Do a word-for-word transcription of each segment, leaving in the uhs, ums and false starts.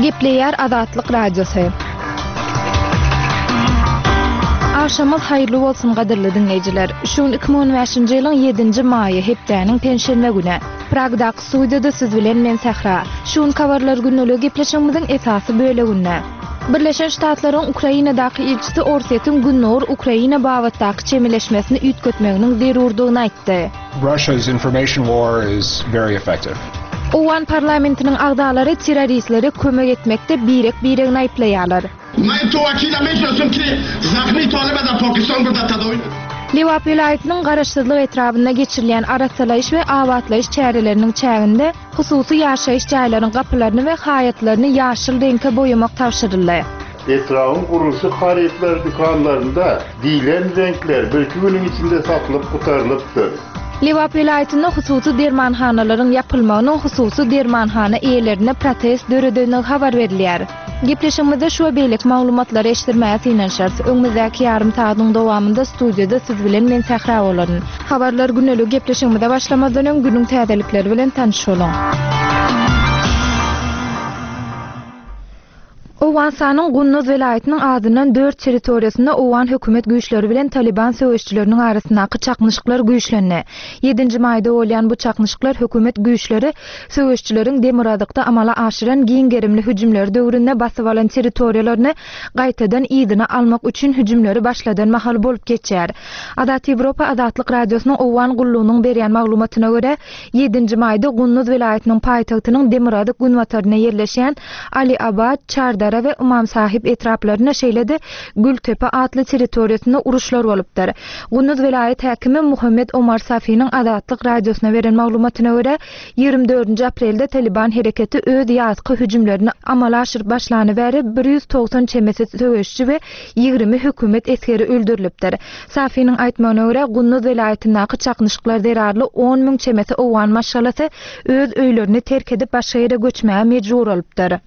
Gepleýär Azatlyk Radiosy. Agşamyňyz haýyrly bolsun gadyrly diňleýjiler. Şu gün iki müň on bäşinji ýylyň ýedinji maýy, hepdäniň penşenbe güni. Pragdaky studiýada siz bilen men Sähra. Şu günki habarlar gündeligi gepleşigimiziň esasy böleginde. Birleşen Ştatlaryň Ukrainadaky ilçisi Orsýetiň Gündogar Ukraina babatdaky çemeleşmesini üýtgetmeginiň zerurdygyny aýtdy. Russia's information war is very effective. Owgan parlamentiniň agzalary terroristlere kömek etmekde birek-biregini aýyplaýarlar. Lebap welaýatynyň Garaşsyzlyk etrabynda geçirilýän arassalaýyş we abatlaýyş çäreleriniň çäginde hususy ýaşaýyş jaýlaryň gapylaryny we haýatlaryny ýaşyl reňke boýamak tabşyryldy. Etrabyň gurluşyk harytlary dükanlarynda diýlen reňkler birki günüň içinde satylyp gutarylypdyr. Lebap welaýatynda hususy dermanhanalaryň ýapylmagynyň hususy dermanhana eýelerine protest döredendigi habar berilýär. Gepleşigimizde şu we beýleki maglumatlary eşitdirmäge synanyşarys. Öňümizdäki ýarym sagatyň dowamynda studiýada siz bilen men Sähra bolaryn. Habarlar gündelik gepleşigimize başlamazdan öň günüň täzelikleri bilen tanyş boluň. Owganystanyň Gunduz welaýatynyň adyndan dört territoriýasynda owgan hökümet güýçleri bilen Taliban söweşçileriniň arasyndaky çaknyşyklar güýçlendi. Ýedinji maýda bolýan bu çaknyşyklar hökümet güýçleri söweşçileriň demirgazykda amala aşyran giň gerimli hüjümleri döwründe basyp alan territoriýalaryny gaýtadan yzyna almak üçin hüjümleri başladan mahaly bolup geçýär. Azat Ýewropa Azatlyk Radiosynyň owgan gullugynyň berýän maglumatyna görä, ýedinji maýda Gunduz welaýatynyň paýtagtynyň demirgazyk günbatarynda ýerleşýän Ali Abad, Çardara we Ymam Sahip etraplarynda şeýle-de Gültepe atly territoriýasynda uruşlar bolupdyr. Gunduz welaýat häkimi Muhammed Omar Safiniň Azatlyk Radiosyna beren maglumatyna görä, ýigrimi dördünji aprelde Taliban hereketi öz ýazky hüjümlerini amala aşyryp başlany bäri bir ýüz togsan çemesi söweşçi we ýigrimi hökümet esgeri öldürilipdir. Safiniň aýtmagyna görä, Gunduz welaýatyndaky çaknyşyklar zerarly on müň çemesi owgan maşgalasy öz öýlerini terk edip başga ýere göçmäge mejbur bolupdyr.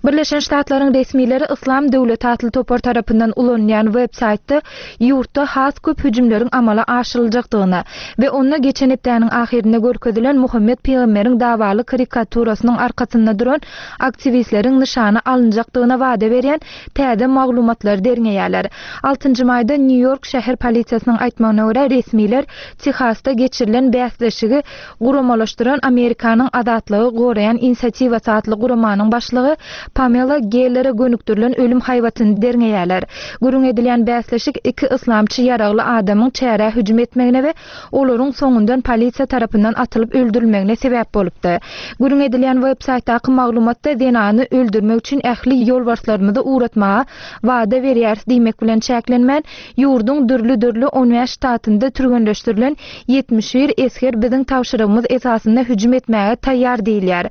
Birleşen Ştatlaryň resmileri Yslam döwleti atly topar tarapyndan ulanylýan web-saýtda ýurtda has köp hüjümleriň amala aşyryljakdygyny we onda geçen hepdäniň ahyrynda görkezilen Muhammed Pygamberiň dawaly karikaturasynyň arkasynda duran aktiwistleriň nyşana alynjakdygyna wada berýän täze maglumatlary derňeýärler. Altynjy maýda Nýu-Ýork şäher polisiýasynyň aýtmagyna görä resmiler Tehasda geçirilen bäsleşigi guramalaşdyran Amerikanyň azatlygy goraýan inisiatiwasy atly guramanyň başlygy Pamela Gellere gönükdirilen ölüm haýbatyny derňeýärler. Gürrüň edilýän bäsleşik iki yslamçy ýaragly adamyň çärä hüjüm etmegine we olaryň soňundan polisiýa tarapyndan atylyp öldürilmegine sebäp bolupdy. Gürrüň edilýän web-saýtdaky maglumatda zenany öldürmek üçin ähli ýolbarslarymyzy ugratmaga wada berýäris diýmek bilen çäklenmän, ýurduň dürli-dürli on bäş ştatynda türgenleşdirilen ýetmiş bir esger biziň tabşyrygymyz esasynda hüjüm etmäge taýýar diýilýär.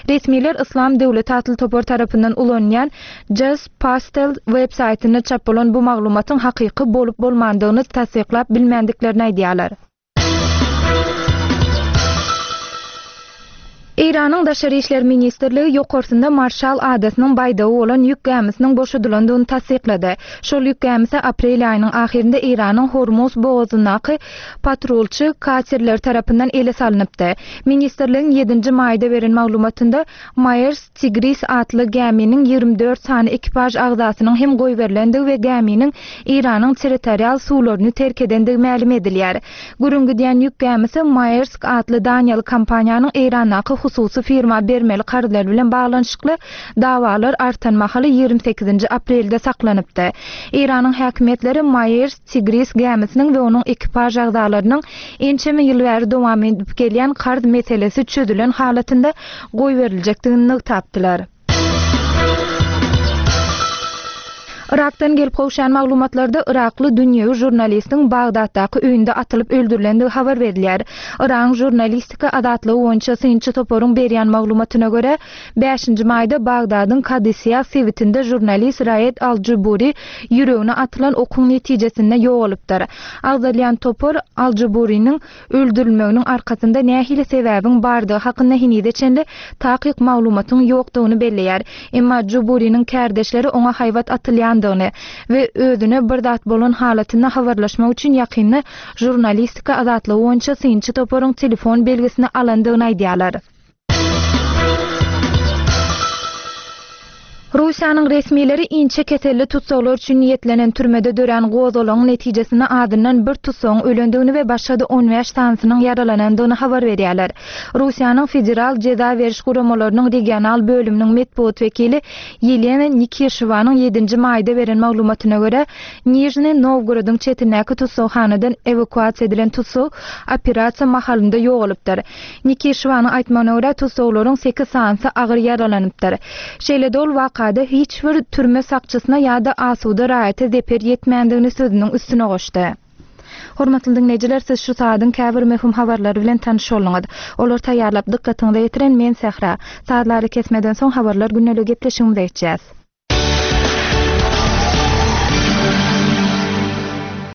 Resmiler Yslam döwleti atly topar tarapyndan ulanylýan Just Pastel web-saýtynda çap bolan bu maglumatyň hakyky bolup bolmandygyny tassyklap bilmändiklerini aýdýarlar. Eýranyň Daşary işler ministrligi ýokarsynda Marşal adasynyň baýdagy bolan ýük gämisiniň boşadylandygyny tassyklady. Şol ýük gämisi aprel aýynyň ahyrynda Eýranyň Hormuz bogazyndaky patrulçy katerler tarapyndan ele salnypdy. Ministrligiň ýedinji maýda beren maglumatynda Maersk Tigris atly gäminiň ýigrimi dört sany ekipaž agzasynyň hem goýberilendigi we gäminiň Eýranyň territorial suwlaryny terk edendigi mälim edilýär. Gürrüň gidýän ýük gämisi Maersk atly Daniýaly kompaniýanyň Eýrandaky hususy firma bermeli karzlar bilen baglanyşykly dawalar artan mahaly ýigrimi sekizinji aprelde saklanypdy. Eýranyň häkimiýetleri Maersk Tigris gämisiniň we onuň ekipaž agzalarynyň ençeme ýyl bäri dowam edip gelýän karz meselesi çözülen halatynda goýberiljekdigini nygtapdylar. Irakdan gelip gowşan maglumatlarda Irakly dünýewi žurnalistiň Bagdatdaky öýünde atylyp öldürilendigi habar berilýär. Iragyň žurnalistika azatlygy boýunça synçy toparyň berýän maglumatyna görä, bäşinji maýda Bagdadyň Kadisiýa sebitinde žurnalist Raed Al-Juburi ýüregine atylan okuň netijesinde ýogalypdyr. Agzalýan topar Al-Juburiniň öldürilmeginiň arkasynda nähili sebäbiň bardygy hakynda henize çenli takyk maglumatyň ýokdugyny belleýär. Emma Juburiniň kärdeşleri oňa haýbat atylýandygyny we özüne bir zat bolan halatynda habarlaşmak üçin ýakynda žurnalistika azatlygy boýunça synçy toparyň telefon belgisini alandygyny aýdýarlar. Russiýanyň resmileri inçe keselli tussaglar üçin niýetlenen türmede dörän gozgalaňyň netijesinde azyndan bir tussagyň ölendigini we başga-da on bäş sanysynyň ýaralanandygyny habar berýärler. Russiýanyň Federal jeza beriş guramalarynyň regional bölüminiň metbugat wekili Ýelena Nikişewanyň ýedinji maýda beren maglumatyna görä, Nižniý Nowgorodyň çetindäki tussaghanadan ewakuasiýa edilen tussag operasiýa mahalynda ýogalypdyr. Nikişewanyň aýtmagyna görä, tussaglaryň sekiz sanysy agyr ýaralanypdyr. Şeýle-de ol wakada hiç bir türme sakçysyna ýa-da asuda raýata zeper ýetmändigini sözüniň üstüne goşdy. Hormatly diňleýjiler, siz şu saadyň käbir möhüm habarlary bilen tanyş bolduňyz. Olary taýýarlap dykgatyňyza ýetiren men Sähra. Sazlary kesmeden soň habarlar gündelik gepleşigimize geçýäs.